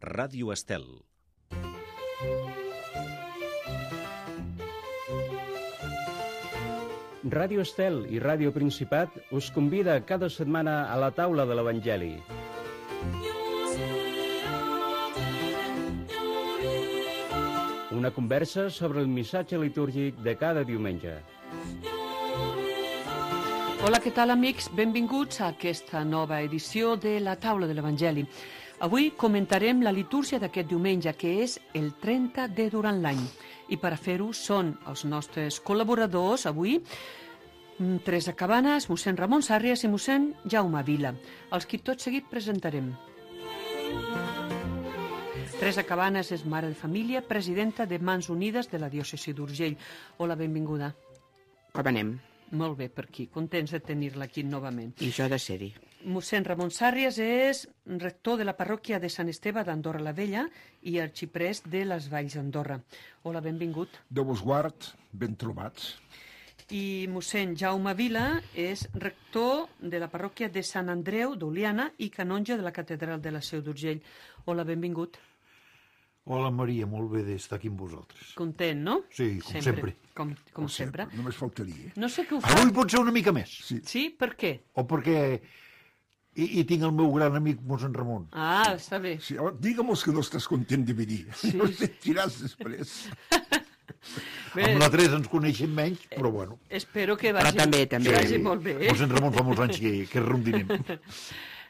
Ràdio Estel. Ràdio Estel i Ràdio Principat us convida cada setmana a la taula de l'Evangeli. Una conversa sobre el missatge litúrgic de cada diumenge. Hola, què tal, amics? Benvinguts a aquesta nova edició de la taula de l'Evangeli. Avui comentarem la litúrgia d'aquest diumenge, que és el 30 de durant l'any. I per a fer-ho són els nostres col·laboradors avui, Teresa Cabanes, mossèn Ramon Sàrries i mossèn Jaume Vila, els qui tot seguit presentarem. Teresa Cabanes és mare de família, presidenta de Mans Unides de la diòcesi d'Urgell. Hola, benvinguda. Com anem? Molt bé, per aquí. Contents de tenir-la aquí novament. I jo de ser-hi. Mossèn Ramon Sàrries és rector de la parròquia de Sant Esteve d'Andorra la Vella i arxiprest de les Valls d'Andorra. Hola, benvingut. Déu vos guard, ben trobats. I mossèn Jaume Vila és rector de la parròquia de Sant Andreu d'Oliana i canonge de la catedral de la Seu d'Urgell. Hola, benvingut. Hola, Maria, molt bé d'estar aquí amb vosaltres. Content, no? Sí, com sempre. Com sempre. Només faltaria. No sé què ho fa. Avui pot ser una mica més. Sí? Per què? O perquè hi tinc el meu gran amic mossèn Ramon. Ah, està bé. Sí, digue'm-los que no estàs content de venir. Sí. No et sentiràs després. Bé, Amb la Teresa ens coneixem menys, però bueno. espero que vagi, Però també. que vagi molt bé. Mossèn Ramon fa molts anys que rondinem.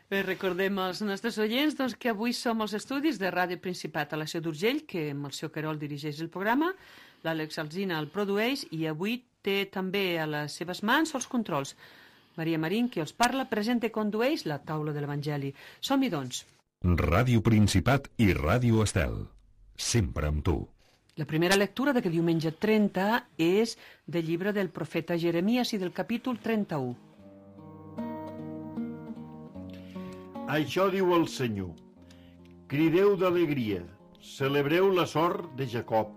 Bé, recordem als nostres oients doncs, que avui som als estudis de Ràdio Principat a la Seu d'Urgell, que amb el seu Querol dirigeix el programa, l'Àlex Alsina el produeix i avui té també a les seves mans els controls. Maria Marín, qui els parla, presenta i condueix la taula de l'Evangeli. Som-hi, doncs. Ràdio Principat i Ràdio Estel. Sempre amb tu. La primera lectura d'aquest diumenge 30 és del llibre del profeta Jeremies i del capítol 31. Això diu el Senyor. Crideu d'alegria, celebreu la sort de Jacob,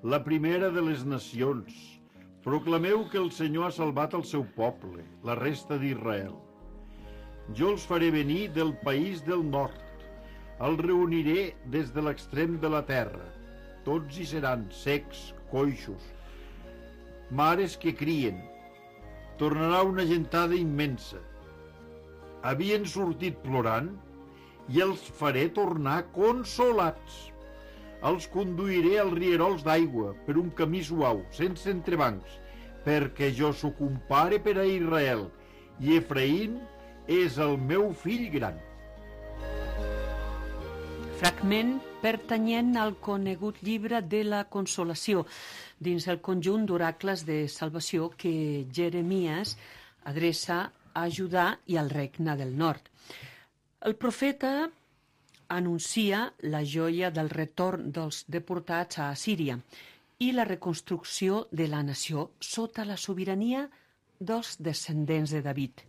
la primera de les nacions. Proclameu que el Senyor ha salvat el seu poble, la resta d'Israel. Jo els faré venir del país del nord. Els reuniré des de l'extrem de la terra. Tots hi seran secs, coixos, mares que crien. Tornarà una gentada immensa. Havien sortit plorant i els faré tornar consolats. Els conduiré als rierols d'aigua per un camí suau, sense entrebancs, perquè jo sóc un pare per a Israel i Efraïm és el meu fill gran. Fragment pertanyent al conegut llibre de la Consolació, dins el conjunt d'oracles de salvació que Jeremies adreça a Judà i al regne del nord. El profeta anuncia la joia del retorn dels deportats a Assíria i la reconstrucció de la nació sota la sobirania dels descendents de David.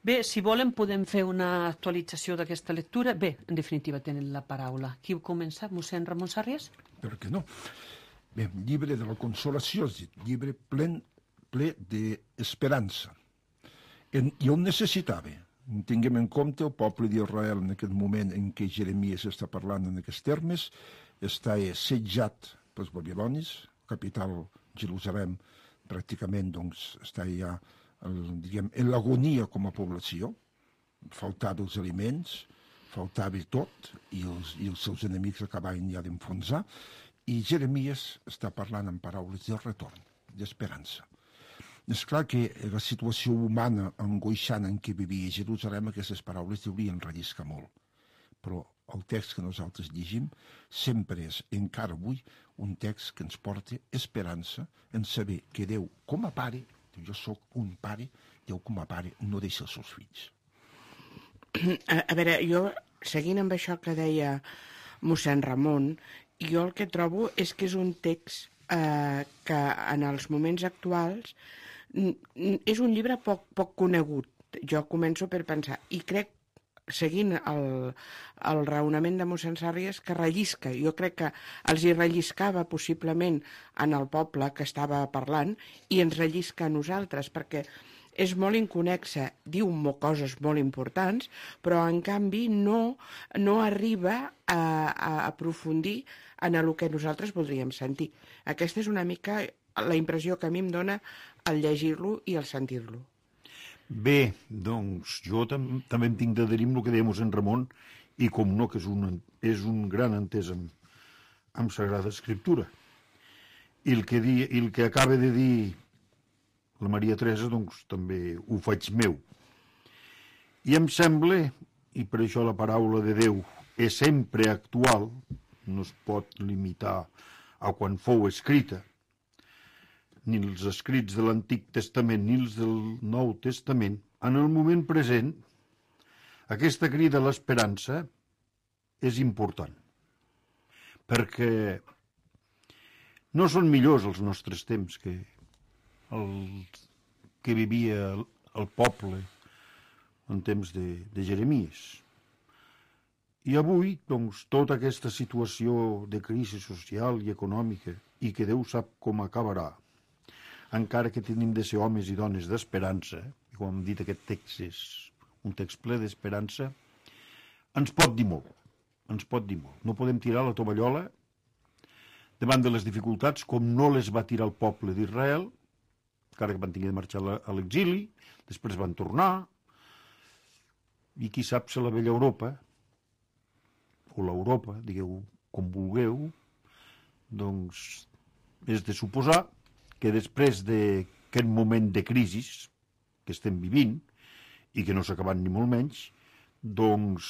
Bé, si volen podem fer una actualització d'aquesta lectura. Bé, en definitiva tenen la paraula. Qui ho comença? Mossèn Ramon Sàrries? Per què no? Bé, llibre de la consolació, llibre ple d'esperança. I on necessitava. Tinguem en compte el poble d'Israel en aquest moment en què Jeremies està parlant en aquests termes, està assetjat pels babilonis, capital Jerusalem pràcticament doncs, està ja en l'agonia com a població, faltava els aliments, faltava tot, i els seus enemics acabaven ja d'enfonsar, i Jeremies està parlant en paraules del retorn, d'esperança. És clar que la situació humana angoixant en què vivia Jerusalem, aquestes paraules deurien relliscar molt. Però el text que nosaltres llegim sempre és, encara avui, un text que ens porta esperança en saber que Déu, com a pare, jo sóc un pare, Déu com a pare no deixa els seus fills. A veure, jo, seguint amb això que deia mossèn Ramon, jo el que trobo és que és un text que en els moments actuals és un llibre poc conegut. Jo començo per pensar, i crec, seguint el raonament de mossèn Sàrries, que rellisca. Jo crec que els hi relliscava possiblement en el poble que estava parlant i ens rellisca a nosaltres, perquè és molt inconexa, diu coses molt importants, però en canvi no arriba a aprofundir en el que nosaltres voldríem sentir. Aquesta és una mica la impressió que a mi em dona al llegir-lo i al sentir-lo. Bé, doncs jo també em tinc d'adherir amb el que deia mossèn Ramon, i com no, que és un gran entès amb Sagrada Escriptura. I el que acaba de dir la Maria Teresa, doncs també ho faig meu. I em sembla, i per això la paraula de Déu és sempre actual, no es pot limitar a quan fou escrita, ni els escrits de l'Antic Testament ni els del Nou Testament, en el moment present, aquesta crida a l'esperança és important, perquè no són millors els nostres temps que vivia el poble en temps de Jeremies. I avui, doncs, tota aquesta situació de crisi social i econòmica, i que Déu sap com acabarà, encara que tenim de ser homes i dones d'esperança, i com hem dit, aquest text és un text ple d'esperança, ens pot dir molt, ens pot dir molt. No podem tirar la tovallola davant de les dificultats com no les va tirar el poble d'Israel, encara que van tenir de marxar a l'exili, després van tornar, i qui sap si la vella Europa, o l'Europa, digueu com vulgueu, doncs és de suposar que després d'aquest moment de crisi que estem vivint, i que no s'ha acabat ni molt menys, doncs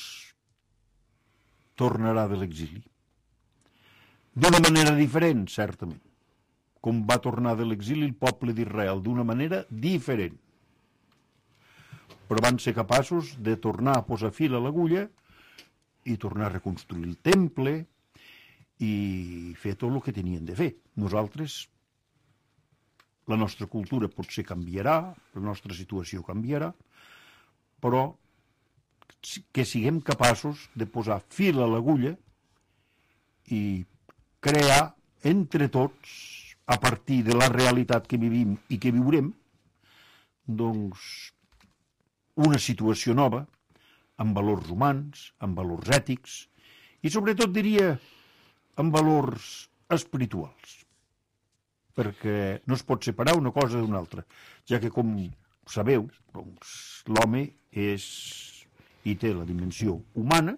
tornarà de l'exili. D'una manera diferent, certament, com va tornar de l'exili el poble d'Israel, d'una manera diferent. Però van ser capaços de tornar a posar fil a l'agulla i tornar a reconstruir el temple i fer tot el que tenien de fer. Nosaltres, la nostra cultura potser canviarà, la nostra situació canviarà, però que siguem capaços de posar fil a l'agulla i crear entre tots, a partir de la realitat que vivim i que viurem, doncs una situació nova, amb valors humans, amb valors ètics, i sobretot diria amb valors espirituals, perquè no es pot separar una cosa d'una altra, ja que, com sabeu, doncs, l'home hi té la dimensió humana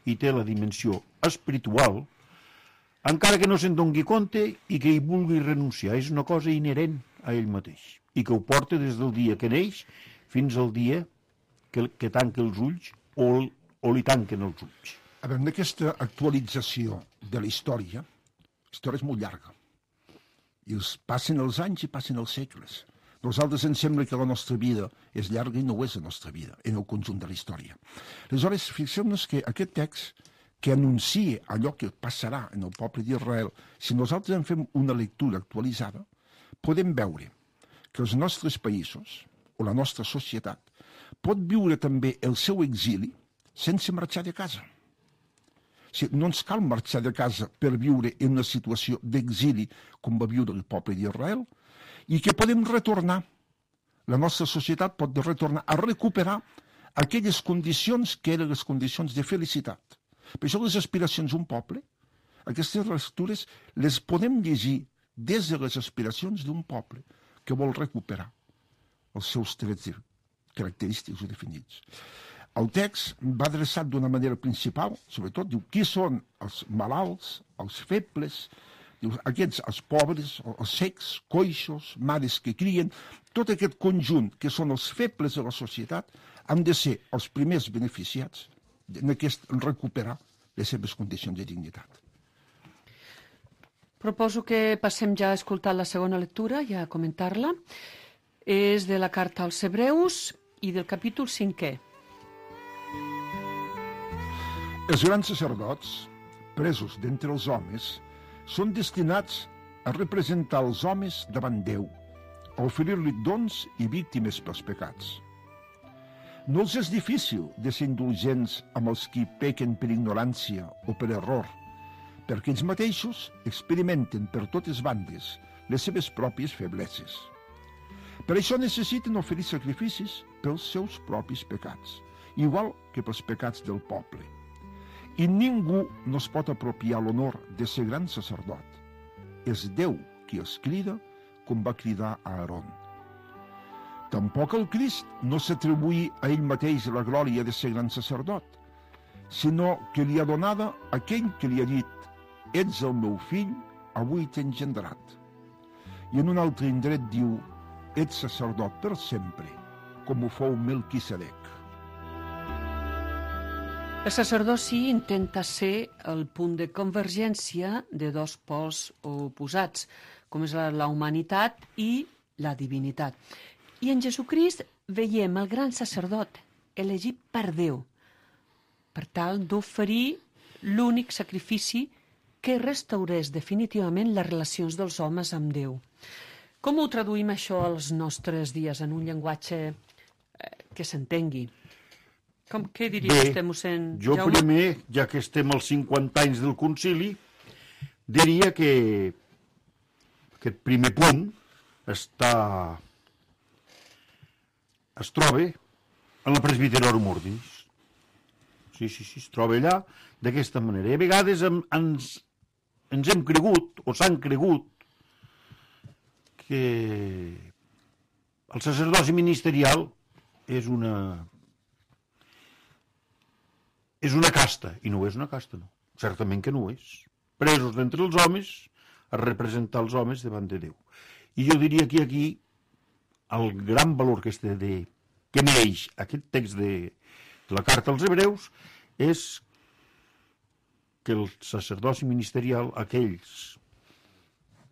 i té la dimensió espiritual, encara que no se'n doni compte i que hi vulgui renunciar. És una cosa inherent a ell mateix i que ho porta des del dia que neix fins al dia que tanca els ulls o li tanquen els ulls. A veure, en aquesta actualització de la història és molt llarga. I passen els anys i passen els segles. Nosaltres ens sembla que la nostra vida és llarga i no ho és la nostra vida, en el conjunt de la història. Aleshores, fixem-nos que aquest text que anuncia allò que passarà en el poble d'Israel, si nosaltres en fem una lectura actualitzada, podem veure que els nostres països, o la nostra societat, pot viure també el seu exili sense marxar de casa. No ens cal marxar de casa per viure en una situació d'exili com va viure el poble d'Israel, i que podem retornar, la nostra societat pot retornar a recuperar aquelles condicions que eren les condicions de felicitat. Per això les aspiracions d'un poble, aquestes lectures les podem llegir des de les aspiracions d'un poble que vol recuperar els seus trets característics o definits. El text va adreçat d'una manera principal, sobretot, diu qui són els malalts, els febles, diu, aquests, els pobres, els secs, coixos, mares que crien, tot aquest conjunt que són els febles de la societat han de ser els primers beneficiats en recuperar les seves condicions de dignitat. Proposo que passem ja a escoltar la segona lectura i a comentar-la. És de la carta als Hebreus i del capítol 5è. Els grans sacerdots, presos d'entre els homes, són destinats a representar els homes davant Déu, a oferir-li dons i víctimes pels pecats. No els és difícil de ser indulgents amb els qui pequen per ignorància o per error, perquè ells mateixos experimenten per totes bandes les seves pròpies febleses. Per això necessiten oferir sacrificis pels seus propis pecats, igual que pels pecats del poble. I ningú no es pot apropiar l'honor de ser gran sacerdot. És Déu qui els crida, com va cridar a Aaron. Tampoc el Crist no s'atribuïa a ell mateix la glòria de ser gran sacerdot, sinó que li ha donada aquell que li ha dit: «Ets el meu fill, avui t'he engendrat». I en un altre indret diu: «Ets sacerdot per sempre, com ho fou Melquisedec». El sacerdoci intenta ser el punt de convergència de dos pols oposats, com és la humanitat i la divinitat. I en Jesucrist veiem el gran sacerdot elegit per Déu, per tal d'oferir l'únic sacrifici que restaurés definitivament les relacions dels homes amb Déu. Com ho traduïm això als nostres dies en un llenguatge que s'entengui? Què diria vostè, mossèn Jo Jaume? primer, ja que estem als 50 anys del concili, diria que aquest primer punt es troba en la Presbyterorum Ordinis. Sí, es troba allà d'aquesta manera. I a vegades ens hem cregut, o s'han cregut, que el sacerdoci ministerial és una casta, i no és una casta, no. Certament que no ho és. Presos d'entre els homes a representar els homes davant de Déu. I jo diria que aquí el gran valor que mereix aquest text de la carta als hebreus és que el sacerdoci ministerial, aquells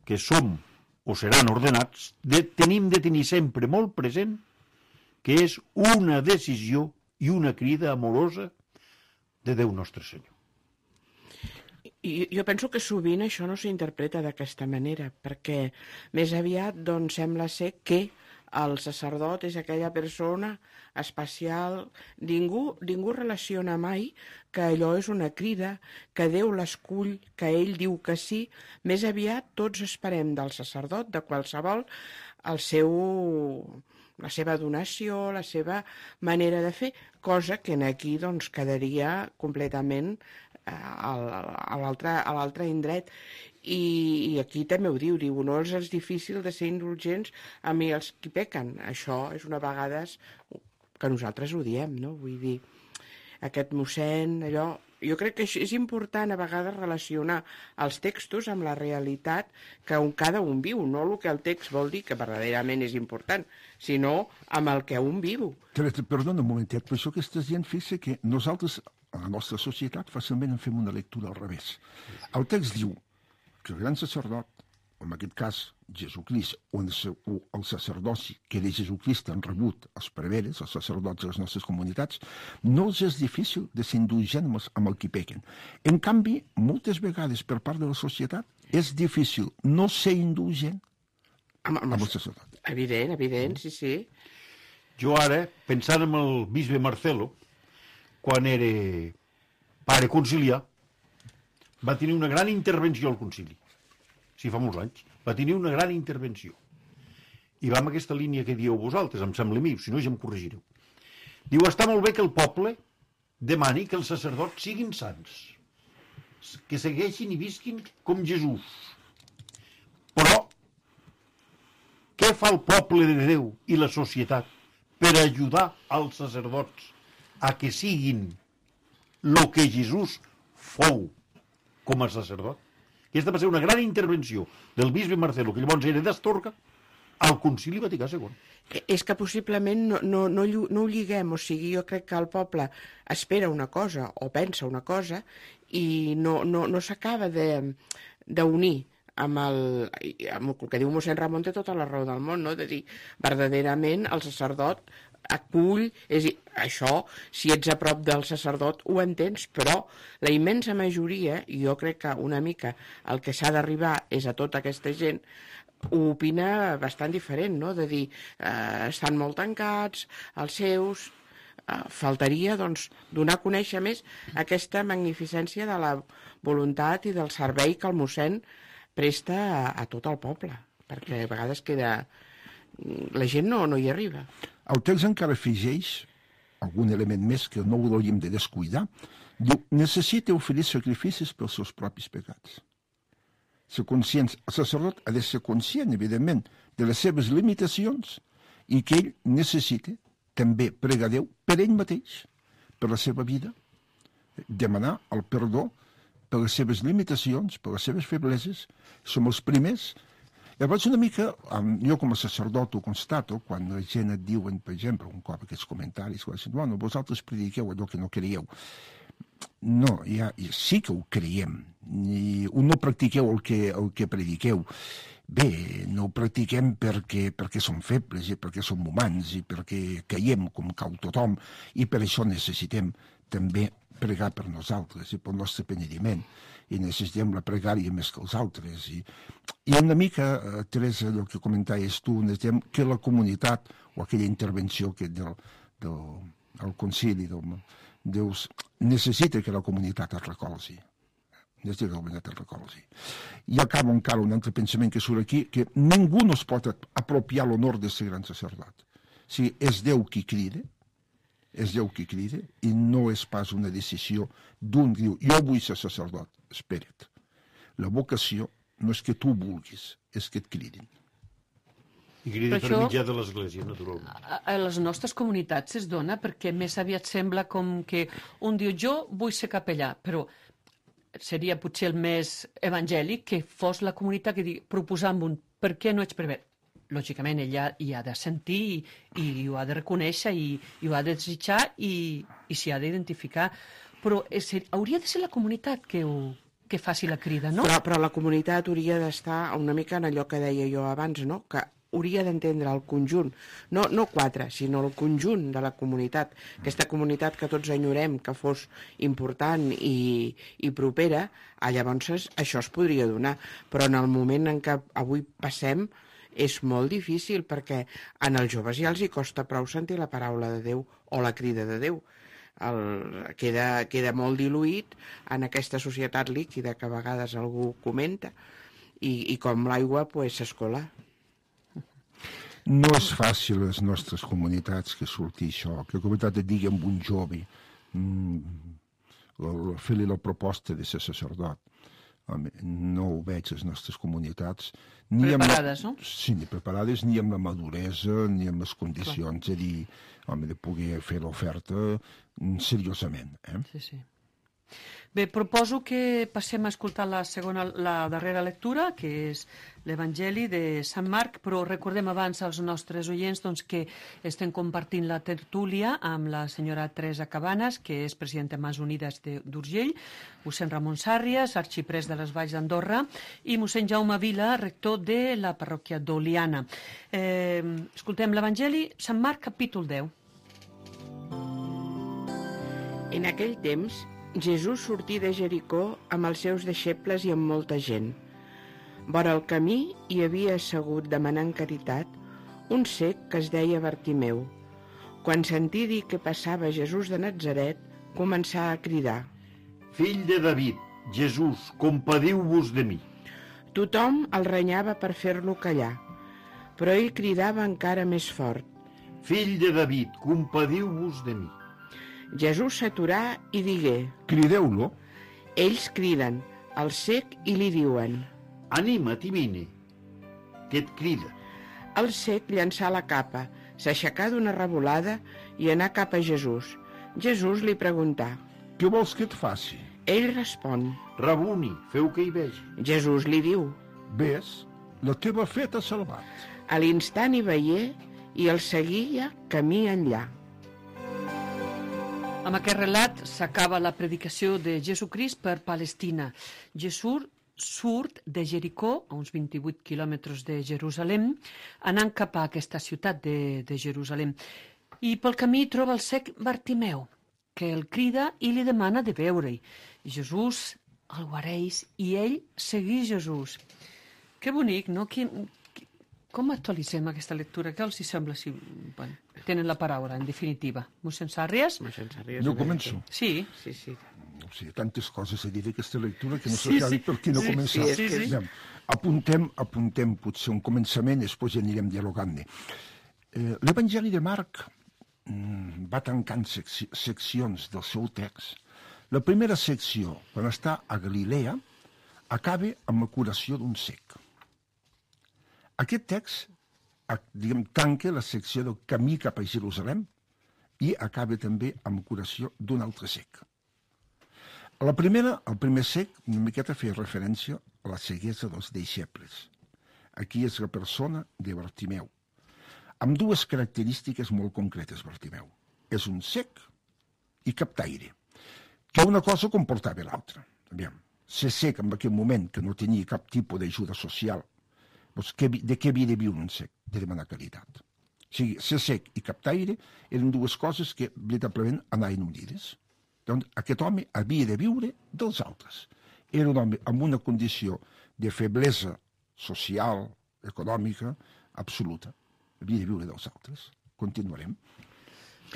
que som o seran ordenats, tenim de tenir sempre molt present que és una decisió i una crida amorosa de Déu nostre Senyor. Jo penso que sovint això no s'interpreta d'aquesta manera, perquè més aviat doncs, sembla ser que el sacerdot és aquella persona especial. Ningú relaciona mai que allò és una crida, que Déu l'escull, que ell diu que sí. Més aviat tots esperem del sacerdot, de qualsevol, la seva donació, la seva manera de fer, cosa que aquí doncs, quedaria completament a l'altre indret. I aquí també ho diu, no és difícil de ser indulgents amb els qui pequen. Això és una vegada que nosaltres ho diem, no? Vull dir, aquest mossèn, allò... Jo crec que és important a vegades relacionar els textos amb la realitat que cada un viu, no el que el text vol dir que verdaderament és important, sinó amb el que un viu. Perdona un momentet, però això que estàs dient, fixa que nosaltres, a la nostra societat, fàcilment en fem una lectura al revés. El text diu que el gran sacerdot, en aquest cas Jesucrist, o el sacerdoci que de Jesucrist han rebut els preveres, els sacerdots de les nostres comunitats, no els és difícil de ser indulgents amb el qui pequen. En canvi, moltes vegades per part de la societat és difícil no ser indulgent amb el sacerdot. Evident, sí. Jo ara, pensant en el bisbe Marcelo, quan era pare conciliar, va tenir una gran intervenció al concili. Sí, fa molts anys. Va tenir una gran intervenció. I va amb aquesta línia que dieu vosaltres, em sembla a mi, si no ja em corregireu. Diu, està molt bé que el poble demani que els sacerdots siguin sants, que segueixin i visquin com Jesús. Però, què fa el poble de Déu i la societat per ajudar als sacerdots a que siguin el que Jesús fou com a sacerdot? Aquesta va ser una gran intervenció del bisbe Marcelo, que llavors era d'Astorga, al Concili Vaticà II. És que possiblement no ho lliguem, o sigui, jo crec que el poble espera una cosa o pensa una cosa i no s'acaba d'unir amb el que diu mossèn Ramon, té tota la raó del món, no? De dir, verdaderament el sacerdot acull, és a dir, això, si ets a prop del sacerdot ho entens, però la immensa majoria, i jo crec que una mica el que s'ha d'arribar és a tota aquesta gent, ho opina bastant diferent, no? De dir, estan molt tancats, els seus... faltaria, doncs, donar a conèixer més aquesta magnificència de la voluntat i del servei que el mossèn presta a tot el poble, perquè a vegades queda la gent no hi arriba. El text encara afegeix algun element més que no ho hauríem de descuidar. Diu, necessita oferir sacrificis pels seus propis pecats. El sacerdot ha de ser conscient, evidentment, de les seves limitacions i que ell necessita també pregar Déu per ell mateix, per la seva vida, demanar el perdó per les seves limitacions, per les seves febleses. Som els primers. Llavors, una mica, jo com a sacerdot ho constato, quan la gent et diuen, per exemple, un cop aquests comentaris, bueno, vosaltres prediqueu allò que no creieu. No, sí que ho creiem. No practiqueu el que prediqueu. Bé, no ho practiquem perquè som febles i perquè som humans i perquè caiem com cau tothom i per això necessitem també pregar per nosaltres i pel nostre penediment i necessitem la pregària més que els altres i una mica, Teresa, el que comentaves tu, necessitem que la comunitat o aquella intervenció que del concili Déu necessita que la comunitat es recolzi. I acaba encara un altre pensament que surt aquí, que ningú no es pot apropiar l'honor de ser gran sacerdot. O sigui, és Déu qui crida, i no és pas una decisió d'un que diu, jo vull ser sacerdot. Espera't. La vocació no és que tu vulguis, és que et cridin. I crida per mitjà de l'Església, naturalment. A les nostres comunitats es dona perquè més aviat sembla com que un diu jo vull ser capellà, però seria potser el més evangèlic que fos la comunitat que digui, proposant un per què no ets prevere. Lògicament, ella hi ha de sentir i ho ha de reconèixer i ho ha de desitjar i s'hi ha d'identificar. Però hauria de ser la comunitat que faci la crida, no? Però la comunitat hauria d'estar una mica en allò que deia jo abans, no? Que hauria d'entendre el conjunt, no quatre, sinó el conjunt de la comunitat, aquesta comunitat que tots enyorem que fos important i propera, llavors això es podria donar, però en el moment en què avui passem és molt difícil perquè en els joves ja els hi costa prou sentir la paraula de Déu o la crida de Déu. Queda molt diluït en aquesta societat líquida que a vegades algú comenta i com l'aigua s'escola. No és fàcil a les nostres comunitats que surti això, que la comunitat et digui amb un jove fer-li la proposta de ser sacerdot. No ho veig a les nostres comunitats. Preparades, no? Sí, ni preparades, ni amb la maduresa, ni amb les condicions de poder fer l'oferta seriosament. Sí. Bé, proposo que passem a escoltar la darrera lectura, que és l'Evangeli de Sant Marc, però recordem abans als nostres oients que estem compartint la tertúlia amb la senyora Teresa Cabanes, que és presidenta de Mans Unides d'Urgell, mossèn Ramon Sàrries, arxiprès de les Valls d'Andorra, i mossèn Jaume Vila, rector de la parròquia d'Oliana. Escoltem l'Evangeli, Sant Marc, capítol 10. En aquell temps, Jesús sortí de Jericó amb els seus deixebles i amb molta gent. Vora el camí hi havia assegut demanant caritat un cec que es deia Bartimeu. Quan sentí dir que passava Jesús de Natzaret, començà a cridar: Fill de David, Jesús, compadiu-vos de mi. Tothom el renyava per fer-lo callar, però ell cridava encara més fort: Fill de David, compadiu-vos de mi. Jesús s'aturà i digué: Crideu-lo. Ells criden al cec i li diuen: Anima't i vine, que et crida. El cec llançà la capa, s'aixecà d'una revolada i anà cap a Jesús. Jesús li preguntà: Què vols que et faci? Ell respon: Rabuni, feu que hi vegi. Jesús li diu: Ves, la teva fe t'ha salvat. A l'instant hi veié i el seguia camí enllà. Amb aquest relat s'acaba la predicació de Jesucrist per Palestina. Jesús surt de Jericó, a uns 28 quilòmetres de Jerusalem, anant cap a aquesta ciutat de Jerusalem. I pel camí troba el cec Bartimeu, que el crida i li demana de veure-hi. Jesús el guareix i ell segueix Jesús. Que bonic, no? Com actualitzem aquesta lectura? Què els sembla si tenen la paraula, en definitiva? Mossèn Sàrries? Mossèn Sàrries. Jo començo. Sí. Sí. no sé, tantes coses a dir d'aquesta lectura que no s'acabi per qui no començar. Apuntem potser un començament i després ja anirem dialogant-ne. L'Evangeli de Marc va tancant seccions del seu text. La primera secció, quan està a Galilea, acaba amb la curació d'un cec. Aquest text, tanca la secció del camí cap a Jerusalem i acaba també amb la curació d'un altre cec. A la primera, el primer cec, una miqueta feia referència a la ceguesa dels deixebles. Aquí és la persona de Bartimeu, amb dues característiques molt concretes, Bartimeu. És un cec i captaire, que una cosa comportava l'altra. Ser cec en aquell moment, que no tenia cap tipus d'ajuda social, doncs de què havia de viure un cec? De demanar caritat. O sigui, ser sec i captaire eren dues coses que veritablement anaven unides. Doncs aquest home havia de viure dels altres. Era un home amb una condició de feblesa social, econòmica, absoluta. Havia de viure dels altres. Continuarem.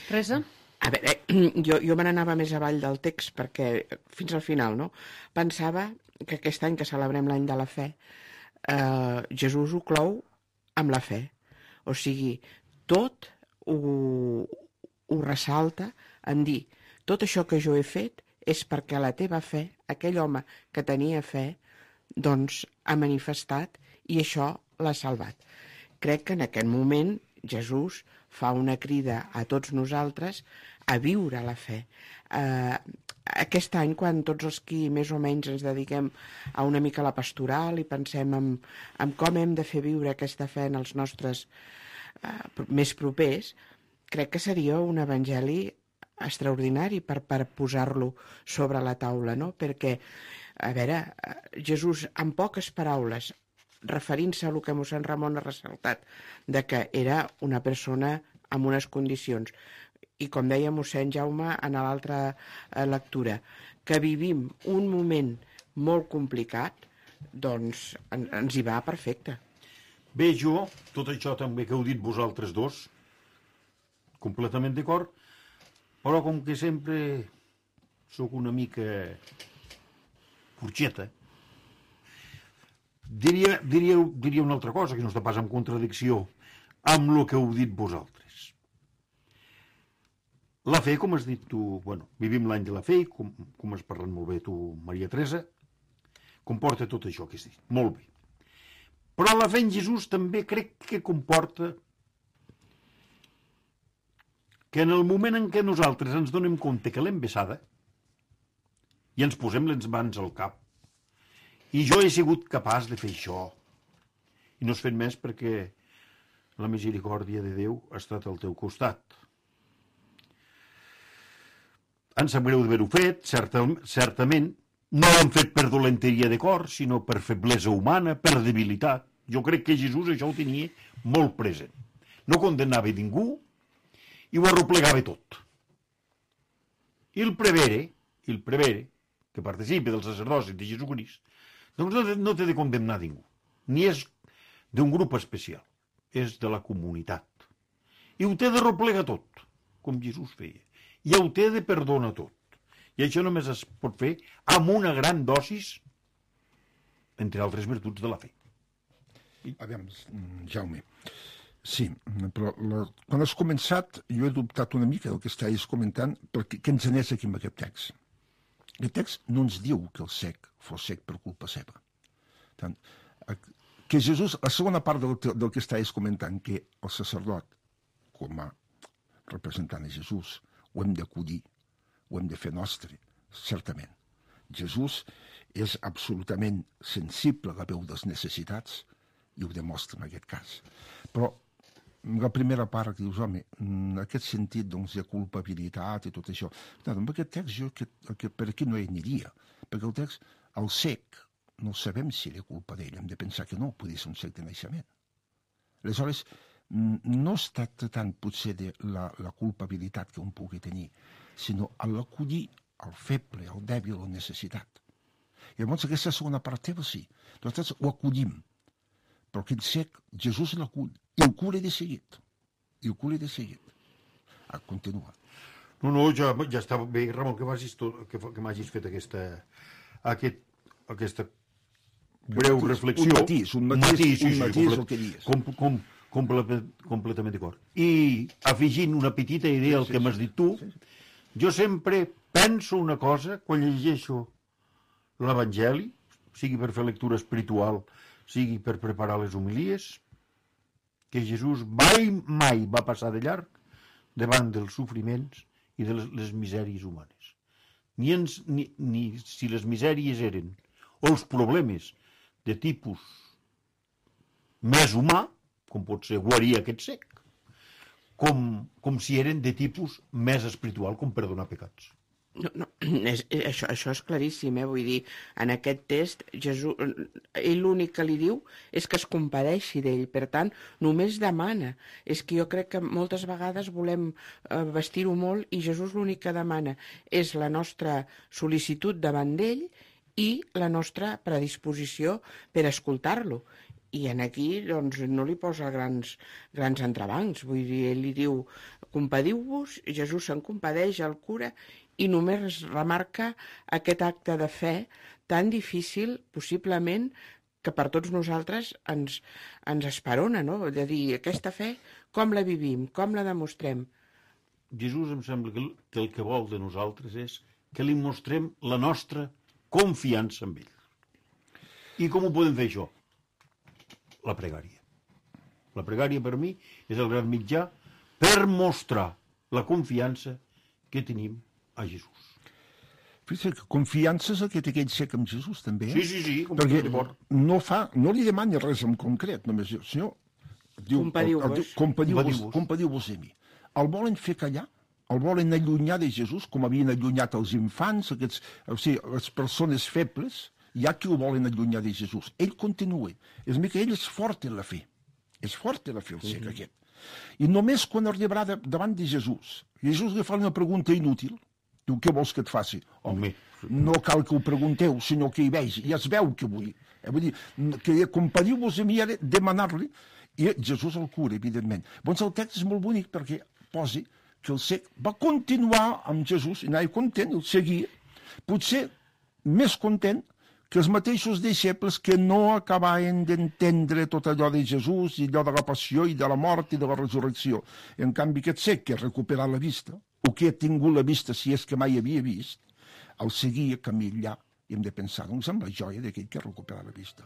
Teresa? A veure, jo me n'anava més avall del text perquè, fins al final, no? Pensava que aquest any que celebrem l'any de la fe, Jesús ho clou amb la fe. O sigui, tot ho ressalta en dir tot això que jo he fet és perquè la teva fe, aquell home que tenia fe, doncs ha manifestat i això l'ha salvat. Crec que en aquest moment Jesús fa una crida a tots nosaltres a viure la fe. Aquest any, quan tots els qui més o menys ens dediquem a una mica a la pastoral i pensem en com hem de fer viure aquesta fe en els nostres més propers, crec que seria un evangeli extraordinari per posar-lo sobre la taula, no? Perquè, a veure, Jesús, en poques paraules, referint-se a el que mossèn Ramon ha ressaltat, de que era una persona amb unes condicions, i com deia mossèn Jaume en l'altra lectura, que vivim un moment molt complicat, doncs ens hi va perfecte. Bé, jo, tot això també que heu dit vosaltres dos, completament d'acord, però com que sempre sóc una mica forxeta, diria una altra cosa, que no està pas en contradicció amb el que heu dit vosaltres. La fe, com has dit tu, vivim l'any de la fe, com has parlat molt bé tu, Maria Teresa, comporta tot això que has dit, molt bé. Però la fe en Jesús també crec que comporta que en el moment en què nosaltres ens donem compte que l'hem vessada i ens posem les mans al cap, i jo he sigut capaç de fer això, i no has fet més perquè la misericòrdia de Déu ha estat al teu costat. Em sap greu d'haver-ho fet, certament, no ho hem fet per dolenteria de cor, sinó per feblesa humana, per debilitat. Jo crec que Jesús això ho tenia molt present. No condemnava ningú i ho arroplegava tot. I el prevere, que participa del sacerdoci de Jesucrist, doncs no té de condemnar ningú. Ni és d'un grup especial, és de la comunitat. I ho té de arroplegar tot, com Jesús feia. I ho té de perdonar tot. I això només es pot fer amb una gran dosis, entre altres virtuts de la fe. A veure, Jaume, sí, però quan has començat jo he dubtat una mica del que estàs comentant, perquè què ens anés aquí amb aquest text? Aquest text no ens diu que el cec fos cec per culpa seva. Tant, que Jesús, la segona part del que estàs comentant, que el sacerdot, com a representant de Jesús, ho hem d'acollir, ho hem de fer nostre, certament. Jesús és absolutament sensible a la veu dels necessitats i ho demostra en aquest cas. Però la primera part que dius, home, en aquest sentit doncs, de culpabilitat i tot això, amb aquest text jo per aquí no hi aniria, perquè el text, el cec, no sabem si era culpa d'ell, hem de pensar que no, podria ser un cec de naixement. Aleshores, no es tracta tant potser de la culpabilitat que un pugui tenir, sinó a l'acollir el feble, el dèbil, la necessitat. I llavors aquesta segona part teva sí, nosaltres ho acollim, però aquest cec, Jesús l'acull, i el cura de seguit. Continua. No, ja està bé, Ramon, que m'hagis fet aquesta breu reflexió. Un matís el que dius. Completament d'acord. I afegint una petita idea al que m'has dit tu, jo sempre penso una cosa quan llegeixo l'Evangeli, sigui per fer lectura espiritual, sigui per preparar les homilies, que Jesús mai va passar de llarg davant dels sofriments i de les misèries humanes. Ni si les misèries eren, o els problemes de tipus més humà, com pot ser guarir aquest cec, com si eren de tipus més espiritual, com perdonar pecats. No, això és claríssim, vull dir, en aquest text Jesús, ell l'únic que li diu és que es compadeixi d'ell, per tant només demana. És que jo crec que moltes vegades volem vestir-ho molt i Jesús l'únic que demana és la nostra sol·licitud davant d'ell i la nostra predisposició per escoltar-lo. I en aquí doncs, no li posa grans entrebancs, vull dir, ell li diu compadiu-vos, Jesús se'n compadeix, el cura, i només remarca aquest acte de fe tan difícil, possiblement, que per tots nosaltres ens esperona, no? De dir, aquesta fe, com la vivim, com la demostrem? Jesús em sembla que el que vol de nosaltres és que li mostrem la nostra confiança en ell. I com ho podem fer, això? La pregària. La pregària, per mi, és el gran mitjà per mostrar la confiança que tenim a Jesús. Fixa't que confiança és el que té aquell cec amb Jesús, també. Sí, perquè no li demani res en concret, només senyor, diu, compadiu-vos a mi. El volen fer callar, el volen allunyar de Jesús, com havien allunyat els infants, les persones febles, hi ha qui ho volen allunyar de Jesús. Ell continua. És que ell és fort en la fe. És fort en la fe, el cec aquest. I només quan arribarà davant de Jesús li fa una pregunta inútil. Diu, què vols que et faci? Home, no cal que ho pregunteu, sinó que hi vegi. Ja es veu que vull. Vull dir, que compadiu-vos a mi, demanar-li, i Jesús el cura, evidentment. Doncs el text és molt bonic perquè posi que el cec va continuar amb Jesús, i anava content, el seguia, potser més content que els mateixos deixebles que no acabaven d'entendre tot allò de Jesús i allò de la passió i de la mort i de la resurrecció. En canvi, aquest cec que ha recuperat la vista, o que ha tingut la vista si és que mai havia vist, el seguia camí allà i hem de pensar doncs, en la joia d'aquell que ha recuperat la vista.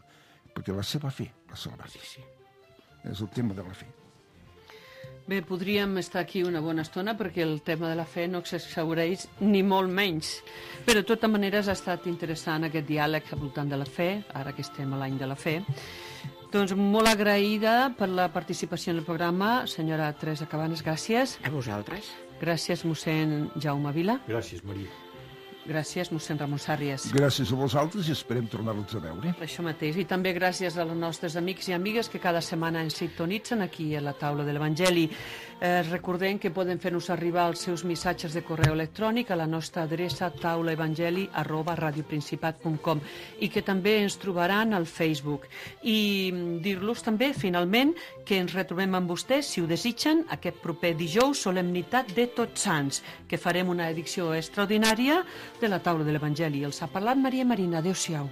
Perquè la seva fe l'ha salvat. Sí. És el tema de la fe. Bé, podríem estar aquí una bona estona perquè el tema de la fe no s'exhaureix ni molt menys. Però de totes maneres ha estat interessant aquest diàleg al voltant de la fe, ara que estem a l'any de la fe. Doncs molt agraïda per la participació en el programa, senyora Teresa Cabanes, gràcies. A vosaltres. Gràcies, mossèn Jaume Vila. Gràcies, Maria. Gràcies, mossèn Ramon Sàrries. Gràcies a vosaltres i esperem tornar-los a veure. Això mateix. I també gràcies als nostres amics i amigues que cada setmana ens sintonitzen aquí a la taula de l'Evangeli. Recordem que poden fer-nos arribar els seus missatges de correu electrònic a la nostra adreça taulaevangeli@radioprincipat.com i que també ens trobaran al Facebook. I dir-los també, finalment, que ens retrobem amb vostès, si ho desitgen, aquest proper dijous, solemnitat de Tots Sants, que farem una edició extraordinària de la taula de l'Evangeli. Els ha parlat Maria Marina. Adéu-siau.